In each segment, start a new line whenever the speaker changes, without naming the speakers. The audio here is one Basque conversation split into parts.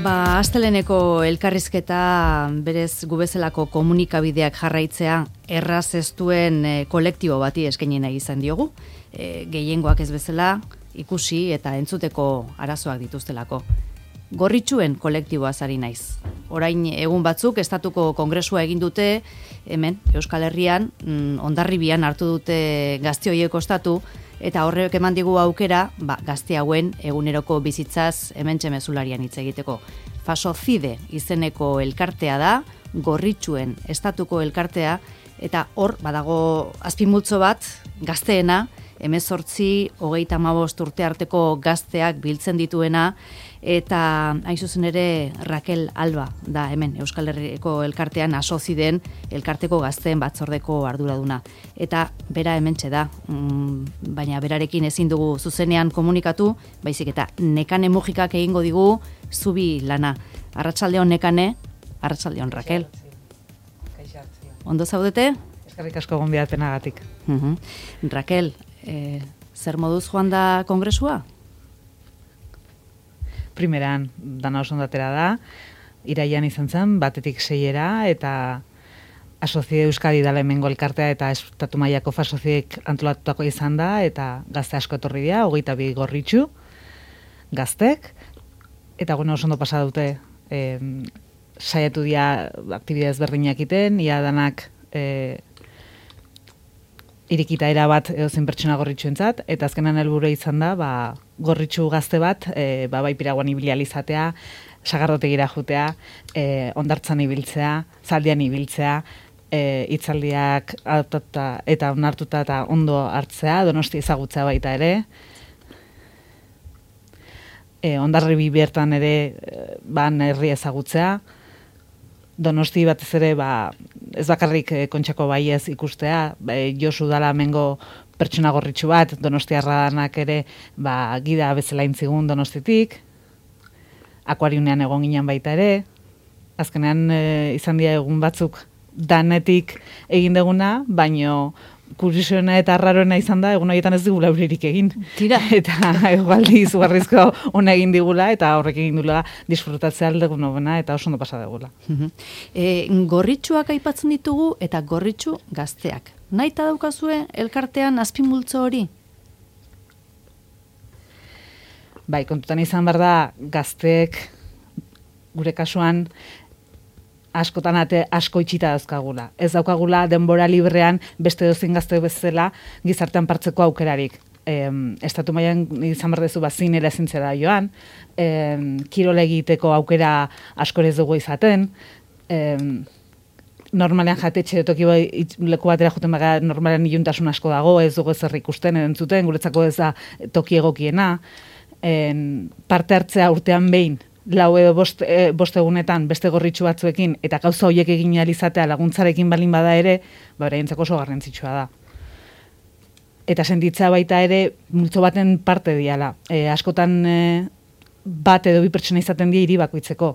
Asteleneko elkarrizketa berez gubezelako komunikabideak jarraitzea erraz ez duen kolektibo bati eskaini nahi izan diogu. Gehiengoak ez bezala ikusi eta entzuteko arazoak dituztelako. Gorritxuen kolektiboaz ari naiz. Orain egun batzuk estatuko kongresua egin dute, hemen Euskal Herrian, Hondarribian hartu dute gazte horiek ostatu, eta horrek eman digu aukera, gazte hauen eguneroko bizitzaz hementxe mezularian hitz egiteko. Fasocide izeneko elkartea da, Gorritxuen estatuko elkartea, eta hor badago azpimultzo bat gazteena, 18-35 urte arteko gazteak biltzen dituena, eta hain zuzen ere Raquel Alba da hemen Euskal Herriko elkartean Asoziden elkarteko gazteen batzordeko arduraduna. Eta bera hementxe da, baina berarekin ezin dugu zuzenean komunikatu, baizik eta Nekane Mujikak egingo digu zubi lana. Arratsaldeon Nekane, arratsaldeon Raquel. Ondo zaudete?
Eskerrik asko gonbidapenagatik.
Raquel, zer moduz joan da kongresua?
Primeran, dana oso ondatera da, iraian izan zen, 1-6 eta Asozide Euskadi dala hemengo elkartea eta estatu mailako Fasozidek antolatutako izan da, eta gazte asko etorri dira, 22 gorritxu, gaztek, eta oso ondo pasa dute, saiatu dira aktibidez berdinak iten, ia danak irikita erabat edozein pertsona gorritxuentzat, eta azkenan helburu izan da, gorritxu gazte bat, bai Piraguan ibili izatea, sagardotegira jutea, hondartzan ibiltzea, zaldian ibiltzea, hitzaldiak adoptatuta eta onartuta eta ondo hartzea, Donosti ezagutzea baita ere, Hondarribi bertan ere herri ezagutzea, Donosti batez ere ez bakarrik Kontxako baiez ikustea, Josu dala hemengo pertsona gorritxu bat, Donostiarra danak ere gida bezala intzigun Donostitik, akuariunean egon ginen baita ere, azkenean izan dira egun batzuk danetik egin deguna, baino kuriosoena eta arraroena izan da, egun horietan ez digula euririk egin.
Tira.
Eta egualdi izugarrizko ona egin digula, eta horrek egin dugula disfrutatzea aldegun hobena, eta oso ondo pasa degula.
Gorritxuak aipatzen ditugu, eta gorritxu gazteak. Naita daukazue elkartean azpimultzo hori?
Bai, kontutan izan behar da, gazteek gure kasuan askotan asko itxita dauzkagula. Ez daukagula denbora librean beste dozin gazte bezala gizartean partzeko aukerarik. Estatu mailan izan behar dezu zinera ezintzera joan, kirole egiteko aukera askor ez dugu izaten, normalean jatetxe toki leku batera juten baga normalean iluntasun asko dago, ez dugu ezer ikusten, entzuten, guretzako ez da toki egokiena, parte hartzea urtean behin, 4 edo 5 egunetan beste gorritxu batzuekin eta gauza horiek egin ahal izatea laguntzarekin balin bada ere, beraientzako oso garrantzitsua da. Eta sentitzea baita ere multzo baten parte diala. Askotan bat edo 2 pertsona izaten dira hiri bakoitzeko.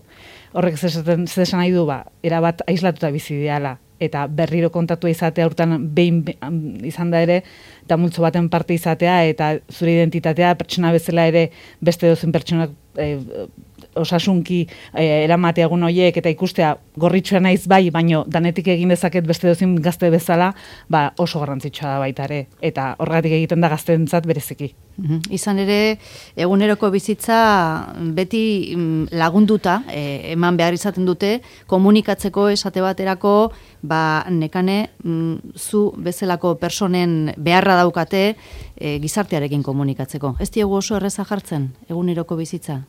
Horrek zer esan nahi du, erabat aislatuta bizi diala. Eta berriro kontatua izatea urtan behin izan da ere, eta multzo baten parte izatea, eta zure identitatea pertsona bezala ere beste dozen pertsonak osasunki eramatea egun horiek eta ikustea gorritxua naiz bai, baino danetik egin dezaket beste dozin gazte bezala, oso garrantzitsua da baita ere, eta horregatik egiten da gazteentzat bereziki.
Izan ere, eguneroko bizitza beti lagunduta, eman behar izaten dute, komunikatzeko esate baterako, Nekane, zu bezalako personen beharra daukate gizartearekin komunikatzeko. Ez diegu oso erreza jartzen, eguneroko bizitza?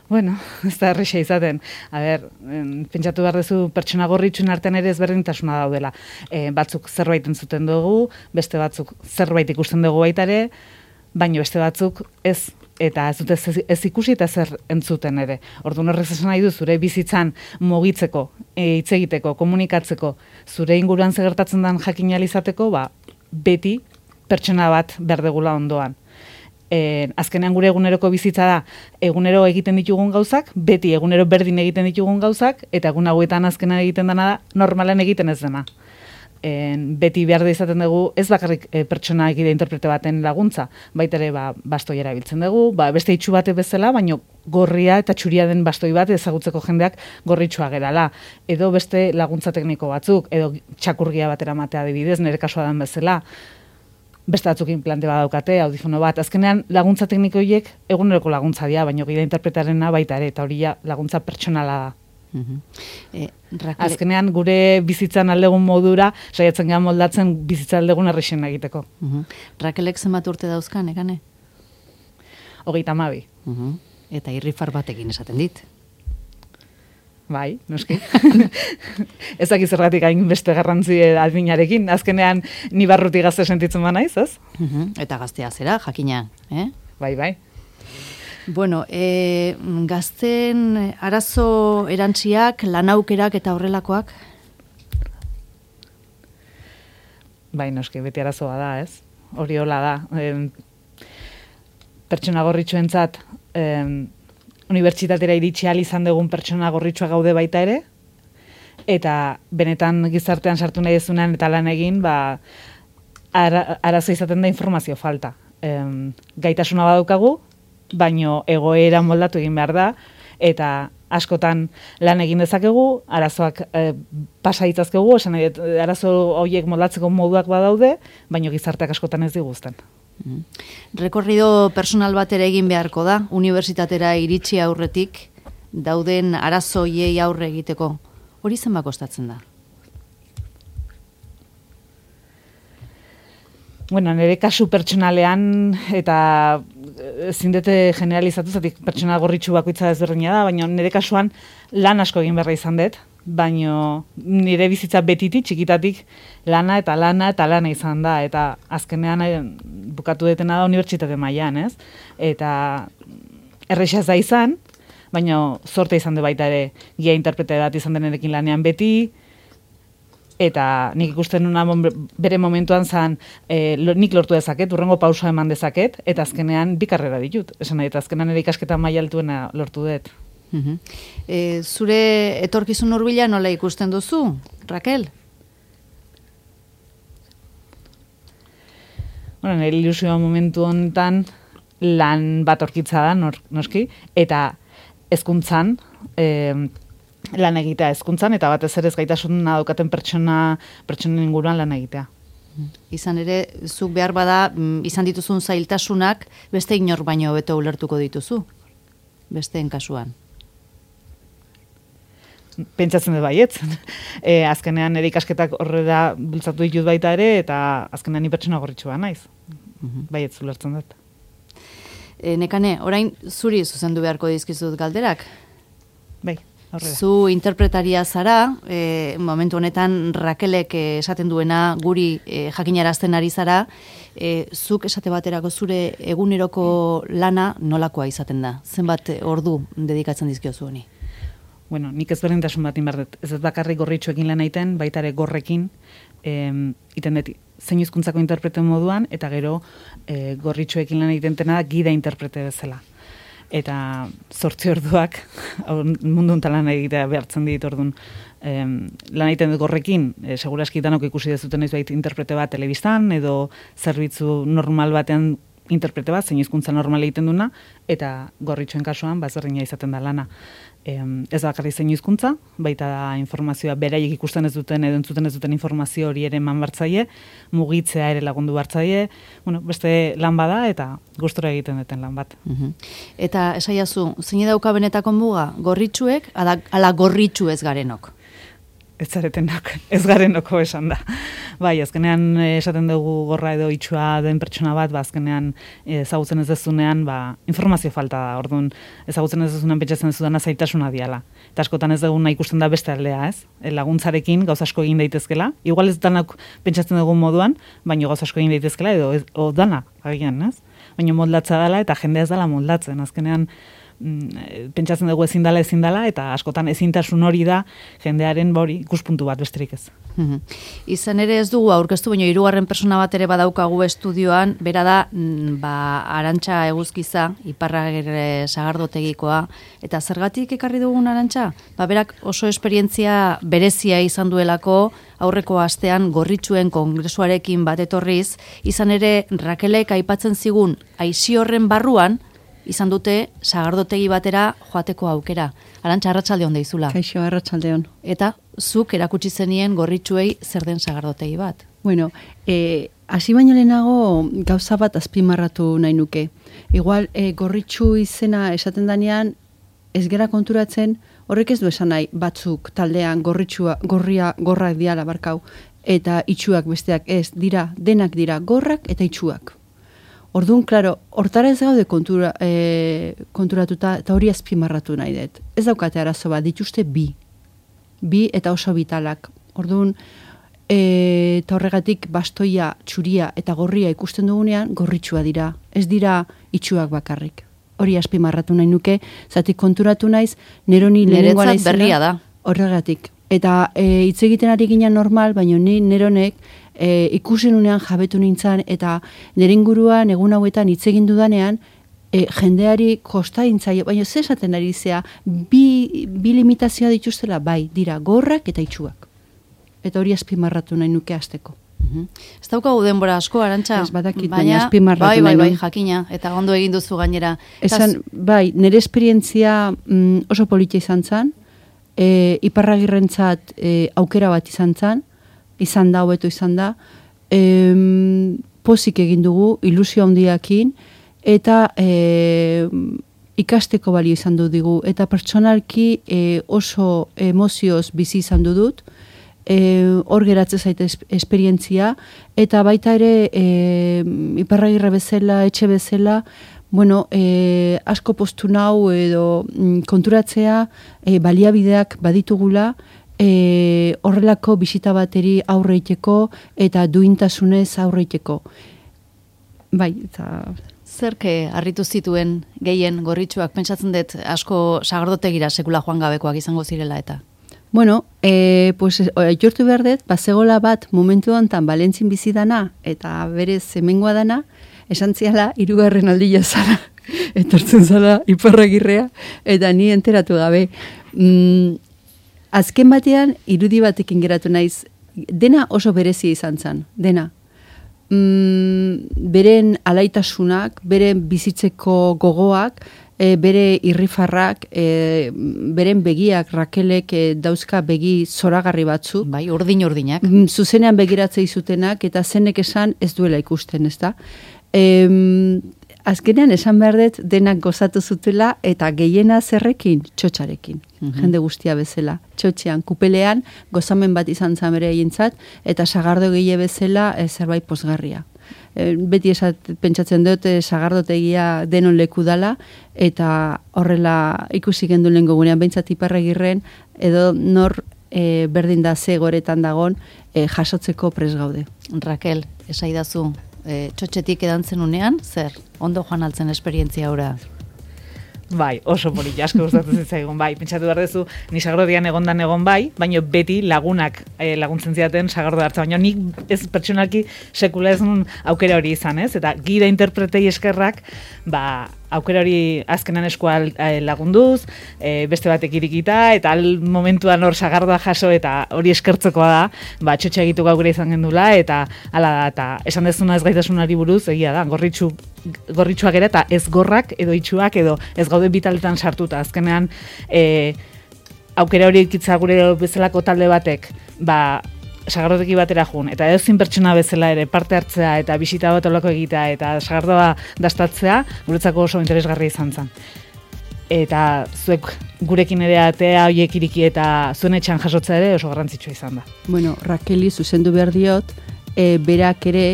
Bueno, ez da erresa izaten. Pentsatu behar duzu pertsona gorritxun artean ere ezberdintasuna daudela. Batzuk zerbait entzuten dugu, beste batzuk zerbait ikusten dugu baita ere, baina beste batzuk ez. Eta ez dute ez ikusi eta zer entzuten ere. Orduan horrek esan nahi du zure bizitzan mugitzeko, hitz egiteko, komunikatzeko, zure inguruan zer gertatzen den jakin ahal izateko, beti pertsona bat berdegula ondoan. Azkenean gure eguneroko bizitza da, egunero egiten ditugun gauzak, beti egunero berdin egiten ditugun gauzak, eta egun hauetan azkenean egiten dena da, normalan egiten ez dena. beti behar da izaten dugu, ez bakarrik pertsona egide interprete baten laguntza, baita ere bastoi erabiltzen dugu, beste itxu bate bezala, baino gorria eta txuria den bastoi bat ezagutzeko jendeak gorritxua gerala. Edo beste laguntza tekniko batzuk, edo txakurgia batera matea adibidez, nire kasua den bezala, beste batzuk inplante bat daukate, audifono bat. Azkenean laguntza tekniko horiek eguneroko laguntza dira, baino gida interpretarena baita ere, eta hori laguntza pertsonala da. Azkenean gure bizitzan aldegun modura saiatzen gara moldatzen bizitza aldegun errexen egiteko.
Rakelek zenbat urte dauzka, nekane?
32.
Eta irrifar batekin esaten dit.
Bai, noski. Ez dakiz zergatik hain beste garrantzi adminarekin. Azkenean ni barruti gazte sentitzen ba naiz, ez?
Eta gaztea zera, jakina,
Bai.
Bueno, gazten arazo erantziak, lanaukerak eta horrelakoak?
Bai, noski, beti arazoa da, ez? Hori hola da. Pertsona gorritxuentzat, unibertsitatera iritsi ahal izan dugun pertsona gorritxua gaude baita ere, eta benetan gizartean sartu nahi dezunean eta lan egin, arazo izaten da informazio falta. Gaitasuna badaukagu, baino egoera moldatu egin behar da, eta askotan lan egin dezakegu, arazoak pasa ditzazkegu, esan nahi, arazo horiek moldatzeko moduak badaude, baino gizarteak askotan ez diguzten.
Rekorrido personal bat ere egin beharko da, unibertsitatera iritsi aurretik, dauden arazoiei aurre egiteko. Hori zenbat kostatzen da?
Bueno, nire kasu pertsonalean, eta ezin dute generalizatu, zatik pertsona gorritxu bakoitza ezberdina da, baina nire kasuan lan asko egin berra izan dut, baina nire bizitza betitik, txikitatik lana izan da, eta azkenean bukatu detena da unibertsitate mailan, ez? Eta errexaz da izan, baina zorte izan du baita ere gia interprete bat izan denerekin lanean beti, eta nik ikusten nuna bere momentuan zan nik lortu dezaket, urrengo pausa eman dezaket, eta azkenean bi karrera ditut. Esan nahi, eta azkenean ere ikasketa maila altuena lortu dut.
Zure etorkizun hurbila nola ikusten duzu, Rakel?
Bueno, nire ilusioa momentu honetan lan bat orkitza da, noski, eta hezkuntzan, lan egitea hezkuntzan, eta batez ere ez gaitasuna daukaten pertsonen inguruan lan egitea.
Izan ere, zuk behar bada, izan dituzun zailtasunak, beste inor baino hobeto ulertuko dituzu, besteen kasuan.
Pentsatzen dut baietz. Azkenean ere ikasketak horrela bultzatu ditut baita ere, eta azkenean ni pertsona gorritxua naiz. Baietz ulertzen dut.
Nekane, orain zuri zuzendu beharko dizkizut galderak?
Bai. Horrela.
Zu interpretaria zara, momentu honetan Rakelek esaten duena guri jakinarazten ari zara, zuk esate baterako zure eguneroko lana nolakoa izaten da? Zenbat ordu dedikatzen dizkiozu honi?
Bueno, nik ezberdintasun bat inbardet. Ez bakarrik gorritxuekin lan egiten, baita ere gorrekin, iten dut zein hizkuntzako interprete moduan, eta gero gorritxuekin lan egiten dena gida interprete bezala. Eta 8 orduak mundu hontan lan egitea behartzen dit orduan. Lan egiten dut gorrekin, seguraski danok ikusi dezuten ez bait interprete bat telebistan, edo zerbitzu normal batean interprete bat, zein hizkuntza normal egiten duna, eta gorritxoen kasuan bazberdina izaten da lana. Ez bakarrik zein hizkuntza, baita da informazioa beraiek ikusten ez duten edo entzuten ez duten informazio hori ere eman bartzaie, mugitzea ere lagundu bartzaie, bueno, beste lan bada eta gustora egiten duten lan bat.
Eta esaiazu, zein dauka benetako muga, gorritxuek, ala gorritxu ez garenok?
Ez zaretenak, ez garenoko esan da. Bai, azkenean esaten dugu gorra edo itxua den pertsona bat, azkenean ezagutzen ez dezunean, informazio falta da, orduan ezagutzen ez dezunean pentsatzen ez dudana zailtasuna diala. Eta askotan ez duguna ikusten da beste aldea, ez? Laguntzarekin gauz asko egin daitezkela, igual ez danak pentsatzen dugun moduan, baina gauz asko egin daitezkela, edo dana, agian, ez? Baina moldatza dela eta jendea ez dela moldatzen, azkenean pentsatzen dugu ezin dala, eta askotan ezintasun hori da jendearen ikuspuntu bat besterik ez.
Izan ere ez dugu aurkeztu, baina 3. persona bat ere badaukagu estudioan, bera da, Arantxa Eguzkiza, Iparragirre Sagardotegikoa, eta zergatik ekarri dugun Arantxa? Berak oso esperientzia berezia izan duelako, aurreko astean Gorritxuen kongresuarekin bat etorriz, izan ere Rakelek aipatzen zigun aisi horren barruan, izan dute sagardotegi batera joateko aukera. Arantxa, arratsaldeon deizula.
Kaixo, arratsaldeon.
Eta zuk erakutsi zenien Gorritxuei zer den sagardotegi bat.
Bueno, hasi baino lehenago gauza bat azpimarratu nahi nuke. Igual, Gorritxu izena esaten danean, ez gera konturatzen, horrek ez du esan nahi batzuk taldean gorrak diala barkau, eta itxuak besteak ez, denak dira gorrak eta itxuak. Orduan, klaro, hortara ez gaude konturatuta eta hori azpimarratu nahi dut. Ez daukate arazo bat, dituzte bi eta oso vitalak. Orduan, eta horregatik bastoia, txuria eta gorria ikusten dugunean, gorritxua dira. Ez dira itxuak bakarrik. Hori azpimarratu nahi nuke, zatik konturatu naiz, neroni lehenengoa naizena.
Berria da.
Horregatik. Eta hitz egiten ari ginen normal, baina neronek ikusen unean jabetu nintzen, eta nire inguruan egun hauetan hitz egin dudanean, jendeari kosta intzaio, baina ze esaten ari zea, bi limitazioa dituztela, bai, dira gorrak eta itxuak. Eta hori azpimarratu nahi nuke hasteko.
Ez daukagu denbora asko, Arantxa.
Ez badakit, baina azpimarratu nahi
bai, jakina, eta ondo egin duzu gainera.
Bai, nire esperientzia oso politia izan zen, Iparragirrentzat aukera bat izan da, hobeto izan da, pozik egin dugu, ilusio handiakin, eta ikasteko balio izan du digu, eta pertsonalki oso emozioz bizi izan dut, hor geratzen zaite esperientzia, eta baita ere Iparragirre bezala, etxe bezala, bueno, asko postu nau edo konturatzea baliabideak baditugula, horrelako bisita bateri aurreiteko eta duintasunez aurreiteko. Bai, eta...
Zerke harritu zituen gehien Gorritxuak, pentsatzen dut asko sagardotegira sekula joan gabekoak izango zirela eta?
Bueno, jortu behar dut, bazegola bat momentu honetan Valentzin bizi dana eta berez hemengoa dana, esan ziala 3. aldia zara, etortzen zara Iparragirrea, eta ni enteratu gabe. Azken batean, irudi batekin geratu naiz, dena oso berezia izan zen, dena. Beren alaitasunak, beren bizitzeko gogoak, bere irrifarrak, beren begiak, Rakelek dauzka begi zoragarri batzu.
Bai, urdinak.
Zuzenean begiratzei zutenak, eta zenek esan ez duela ikusten, ez da? Azkenean esan behar dut denak gozatu zutela eta gehiena zerrekin, txotxarekin. Jende guztia bezala. Txotxean, kupelean, gozamen bat izan zamere egintzat, eta sagardo gehie bezala zerbait pozgarria. Beti pentsatzen dut sagardotegia denon leku dala, eta horrela ikusi gendu lehen gogunean, behintzat Iparragirren, edo nor berdin da ze goretan dagon jasotzeko pres gaude.
Rakel, esaidazu, txotxetik edantzen unean, zer, ondo joan altzen esperientzia ora?
Bai, oso polita, asko gustatzen zitzaigun, bai. Pentsatu behar duzu, ni sagardotian egon bai, baina beti lagunak laguntzen zidaten sagardo hartza, baina nik ez pertsonalki sekula ez nun aukera hori izan, ez? Eta gida interpretei eskerrak, aukera hori azkenan eskua lagunduz, beste batek irikita, eta momentuan hor sagardoa jaso, eta hori eskertzekoa da, txotxe egitu gaukera izan gendula, eta hala da, eta esan dezuna ez gaitasunari buruz, egia da, gorritxuak ere, eta ez gorrak, edo itxuak, edo ez gaude bitaletan sartuta. Azkenean, aukera hori ikitza gure bezalako talde batek, sagardoteki batera jun, eta ezin pertsona bezala ere parte hartzea eta bisita bat olako egitea eta sagardoa dastatzea, guretzako oso interesgarri izan zen. Eta zuek gurekin ere atea horiek iriki eta zuen etxan jasotzea ere oso garrantzitsua izan da.
Bueno, Rakeli zuzendu behar diot, berak ere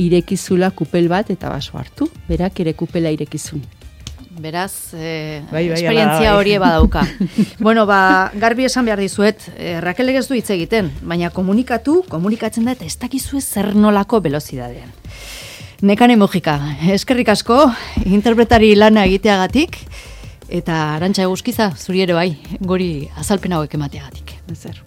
irekizula kupel bat eta baso hartu. Berak ere kupela irekizun.
Beraz, esperientzia hori badauka. Bueno, garbi esan behar dizuet, Rakelek ez du hitz egiten, baina komunikatzen da eta ez dakizue zer nolako velozidadean. Nekane Mojika, eskerrik asko, interpretari lana egiteagatik, eta Arantxa Eguzkiza, zuri ere bai, gori azalpen hauek emateagatik.
Ezer.